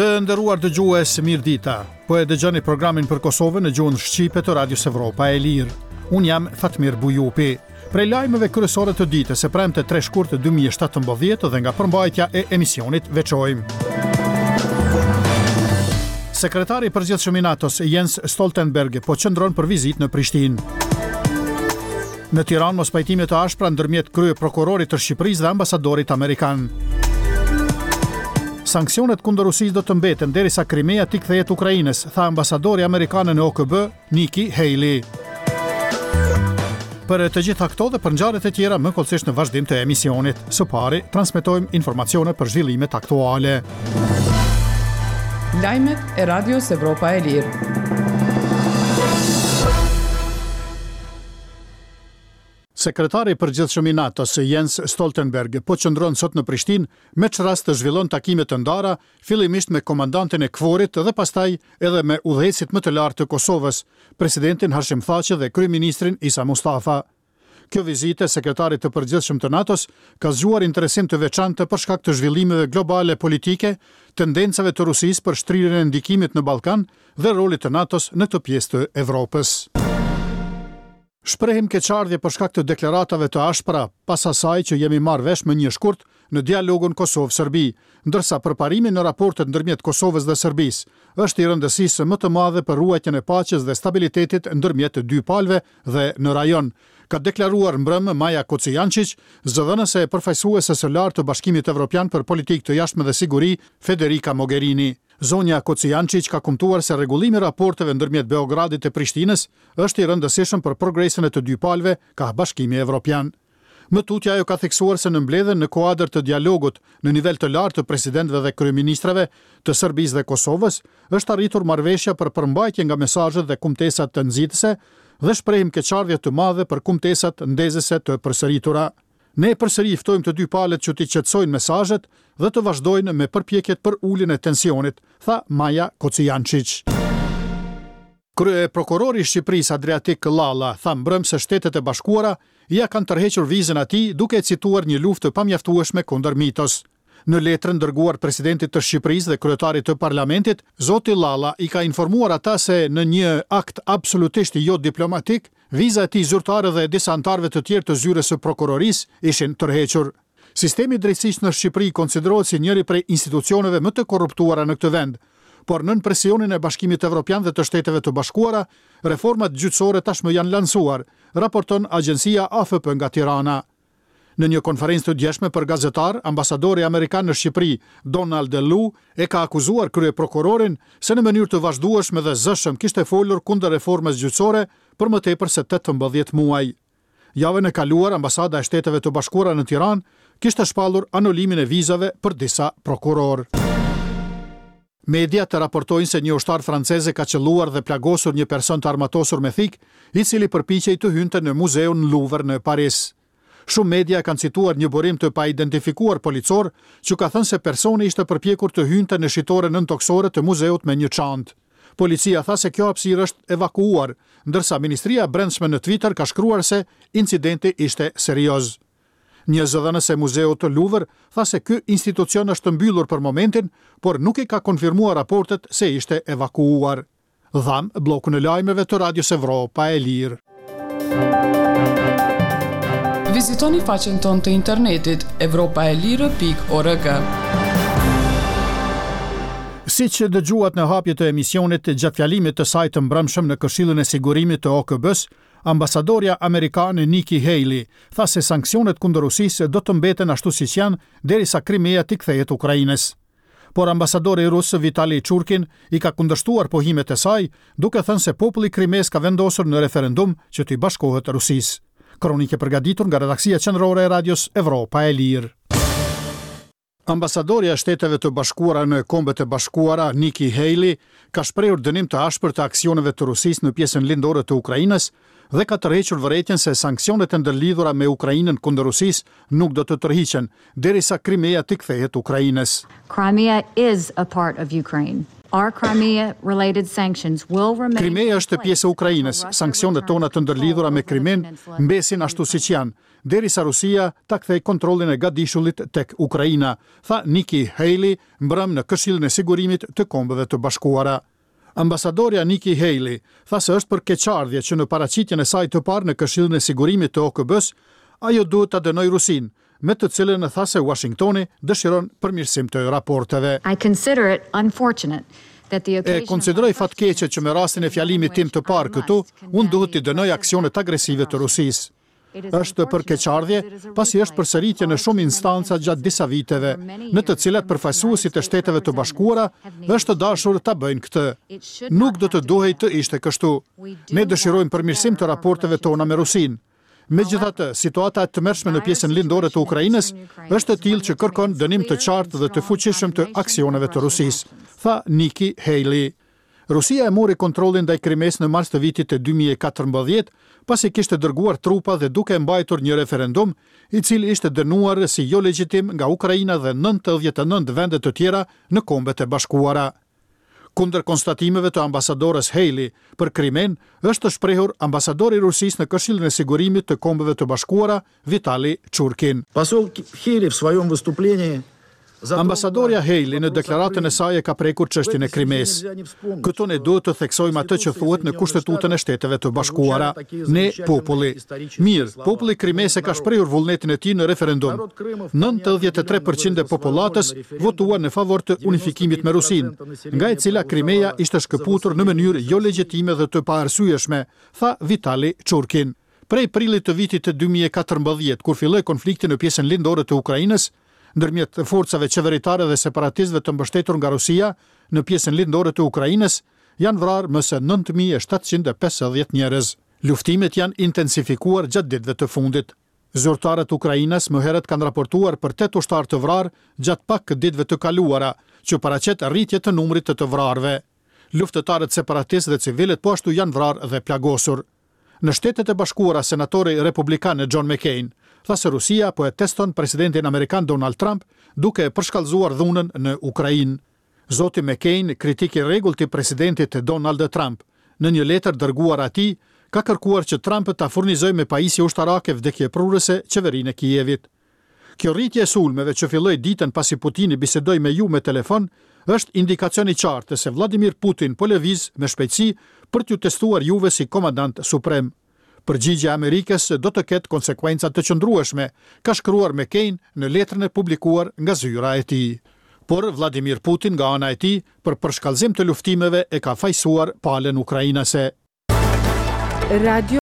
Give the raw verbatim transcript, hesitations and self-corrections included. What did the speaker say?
Të nderuar dëgjues, mirë dita. Po e dëgjoni programin për Kosovën në gjuhën shqipe të Radios Evropa e Lirë. Unë jam Fatmir Bujupi. Prej lajmeve kryesore të ditës së premte tre shkurt dy mijë e shtatëmbëdhjetë dhe nga përmbajtja e emisionit veçojmë: Sekretari i përgjithshëm i NATO-s, Jens Stoltenberg, po qëndron për vizitë në Prishtinë. Në Tiranë, mospajtime të ashpra ndërmjet kryeprokurorit të Shqipërisë dhe ambasadorit amerikan. Sanksionet kundër Rusisë do të mbeten derisa Krimea t'i kthehet Ukrainës, tha ambasadori amerikan në O K B, Nikki Haley. Për të gjitha këto dhe për ngjarjet e tjera më hollësisht në vazhdim të emisionit. Së pari, transmetojmë informacione për zhvillimet aktuale. Lajmet e Radios Evropa e Lirë. Sekretari i përgjithshëm i NATO-s, Jens Stoltenberg, po qëndron sot në Prishtinë, me ç'rast të zhvillon takime të ndara, fillimisht me komandantin e KFOR-it dhe pastaj edhe me udhëheqësit më të lartë të Kosovës, presidentin Hashim Thaçi dhe kryeministrin Isa Mustafa. Kjo vizitë e sekretarit të përgjithshëm të NATO-s ka zgjuar interesim të veçantë për shkak të zhvillimeve globale politike, tendencave të Rusisë për shtrirjen e ndikimit në Ballkan dhe rolit të NATO-s në këtë pjesë të Evropës. Shprehim keqardhje për shkak të deklaratave të ashpra pas asaj që jemi marrë vesh më një shkurt në dialogun Kosovë-Serbi, ndërsa përparimi në raportet ndërmjet Kosovës dhe Serbisë është i rëndësisë më të madhe për ruajtjen e paqes dhe stabilitetit ndërmjet dy palëve dhe në rajon, ka deklaruar mbrëmë Maja Kocijančić, zëdhënëse e përfaqësueses së lartë të Bashkimit Evropian për politikë të jashtme dhe siguri, Federica Mogherini. Zonja Kocijančić ka kumtuar se rregullimi i raporteve ndërmjet Beogradit e Prishtinës është i rëndësishëm për progresin e të dy palëve kah Bashkimi Evropian. Më tutje, ajo ka theksuar se në mbledhjen në kuadër të dialogut në nivel të lartë të presidentëve dhe kryeministrave të Serbisë dhe Kosovës është arritur marrëveshja për përmbajtje nga mesazhet dhe kumtesat të nxitëse dhe shprehim keqardhje të madhe për kumtesat ndezëse të përsëritura. Ne përsëri ftojmë të dy palët që t'i qetësojnë mesazhet dhe të vazhdojnë me përpjekjet për uljen e tensionit, tha Maja Kocijančić. Kryeprokurori i Shqipërisë, Adriatik Llalla, tha mbrëm se Shtetet e Bashkuara ia kanë tërhequr vizën atij, duke e cituar një luftë të pamjaftueshme kundër mitos. Në letrën dërguar presidentit të Shqipërisë dhe kryetarit të parlamentit, zoti Llalla i ka informuar ata se në një akt absolutisht jo diplomatik, viza e tij zyrtare dhe disa anëtarëve të tjerë të zyrës së prokurorisë ishin tërhequr. Sistemi i drejtësisë në Shqipëri konsiderohet si njëri prej institucioneve më të korruptuara në këtë vend, por nën presionin e Bashkimit Evropian dhe të Shteteve të Bashkuara, reformat gjyqësore tashmë janë lansuar, raporton agjencia A F P nga Tirana. Në një konferencë të djeshme për gazetar, ambasadori amerikan në Shqipëri, Donald Lu, e ka akuzuar kryeprokurorin se në mënyrë të vazhdueshme dhe zëshëm kishte folur kundër reformës gjyqësore për më tepër se tetëmbëdhjetë muaj. Javën e kaluar, ambasada e Shteteve të Bashkuara në Tiranë kishte shpallur anulimin e vizave për disa prokurorë. Mediat të raportojnë se një ushtar franceze ka qëlluar dhe plagosur një person të armatosur me thikë, i cili përpiqej të hynte në muzeun Louvre në Paris. Shumë media kanë cituar një burim të paidentifikuar policor që ka thënë se personi ishte përpjekur të hynte në shitoren nëntoksore të muzeut me një çantë. Policia tha se kjo hapësirë është evakuuar, ndërsa Ministria e Brendshme në Twitter ka shkruar se incidenti ishte serioz. Një zëdhënës e muzeut të Louvre tha se ky institucion është mbyllur për momentin, por nuk i ka konfirmuar raportet se ishte evakuuar. Dhamë bllokun e lajmeve të Radios Evropa e Lirë. Vizitoni faqen tonë të internetit evropaelire pikë org. Si që dëgjuat në hapje të emisionit, gjatë fjalimit të saj të mbrëmshëm në Këshillin e Sigurimit të O K B-s, ambasadorja amerikane Nikki Haley tha se sanksionet kundër Rusisë do të mbeten ashtu siç janë derisa Krimea t'i kthehet Ukrainës. Por ambasadori rus, Vitali Churkin, i ka kundërshtuar pohimet e saj, duke thënë se populli i Krimesë ka vendosur në referendum që t'i bashkohet Rusisë. Kronikë përgatitur nga redaksia qendrore e Radios Evropa e Lirë. Ambasadorja e Shteteve të Bashkuara në Kombet e Bashkuara, Nikki Haley, ka shprehur dënim të ashpër të aksioneve të Rusisë në pjesën lindore të Ukrainës dhe ka tërhequr vërejtjen se sanksionet e ndërlidhura me Ukrainën kundër Rusisë nuk do të tërhiqen derisa Krimea t'i kthehet Ukrainës. Crimea is a part of Ukraine. Our Crimea-related sanctions will remain Krimea është pjesë e Ukrainës. Sanksionet tona të ndërlidhura me Krimen mbesin ashtu siç janë, derisa Rusia ta kthejë kontrollin e gadishullit tek Ukraina, tha Nikki Haley mbrëm në Këshillin e Sigurimit të Kombeve të Bashkuara. Ambasadorja Nikki Haley tha se është për keqardhje që në paraqitjen e saj të parë në Këshillin e Sigurimit të O K B-s, ajo duhet ta dënojë Rusinë, me të cilën tha se Washingtoni dëshiron përmirësim të raporteve. I consider it unfortunate that the E konsideroj fatkeqe që me rastin e fjalimit tim të parë këtu, unë duhet t'i dënoj aksionet agresive të Rusisë. Është për keqardhje, pasi është përsëritje në shumë instanca gjatë disa viteve, në të cilat përfaqësuesit e Shteteve të Bashkuara është dashur ta bëjnë këtë. Nuk do të duhej të ishte kështu. Ne dëshirojmë përmirësim të raporteve tona me Rusinë. Megjithatë, situata e tmerrshme në pjesën lindore të Ukrainës është e tillë që kërkon dënim të qartë dhe të fuqishëm të aksioneve të Rusisë, tha Nikki Haley. Rusia e mori kontrollin ndaj Krimesë në mars të vitit të dy mijë e katërmbëdhjetë, pasi kishte dërguar trupa dhe duke mbajtur një referendum, i cili ishte dënuar si jo legjitim nga Ukraina dhe nëntëdhjetë e nëntë vende të tjera në Kombet e Bashkuara. Kundër konstatimeve të ambasadores Haley për Krimen është shprehur ambasadori i Rusisë në Këshillin e Sigurimit të Kombeve të Bashkuara, Vitali Churkin. Посол Хейли в своем выступлении Ambasadorja Haley në deklaratën e saj e ka prekur çështjen e Krimesë. Këtu ne duhet të theksojmë atë që thuhet në Kushtetutën e Shteteve të Bashkuara. Ne, populli. Mirë, populli i Krimesë ka shprehur vullnetin e tij në referendum. nëntëdhjetë e tre përqind e popullatës votuan në favor të unifikimit me Rusinë, nga e cila Krimeja ishte shkëputur në mënyrë jo legjitime dhe të paarsyeshme, tha Vitali Churkin. Prej prillit të vitit të dy mijë e katërmbëdhjetë, kur filloi konflikti në pjesën lindore të Ukrainës, ndërmjet forcave qeveritare dhe separatistëve të mbështetur nga Rusia në pjesën lindore të Ukrainës, janë vrarë më se nëntë mijë e shtatëqind e pesëdhjetë njerëz. Luftimet janë intensifikuar gjatë ditëve të fundit. Zyrtarët ukrainas më herët kanë raportuar për tetë ushtarë të vrarë gjatë pak ditëve të kaluara, që paraqet rritje të numrit të të vrarëve. Luftëtarët separatistë dhe civilët po ashtu janë vrarë dhe plagosur. Në Shtetet e Bashkuara, senatori republikan John McCain tha se Rusia po e teston presidentin amerikan Donald Trump duke e përshkallëzuar dhunën në Ukrainë. Zoti McCain, kritik i rregullt i presidentit Donald Trump, në një letër dërguar atij, ka kërkuar që Trump ta furnizojë me pajisje ushtarake vdekjeprurëse qeverinë e Kijevit. Kjo rritje e sulmeve që filloi ditën pasi Putini bisedoi me ju me telefon, është indikacion i qartë se Vladimir Putin po lëviz me shpejtësi për t'ju testuar juve si komandant suprem. Përgjigja e Amerikës do të ketë konsekuenca të qëndrueshme, ka shkruar McCain në letrën e publikuar nga zyra e tij. Por Vladimir Putin nga ana e tij për përshkallëzim të luftimeve e ka fajësuar palën ukrainase. Radio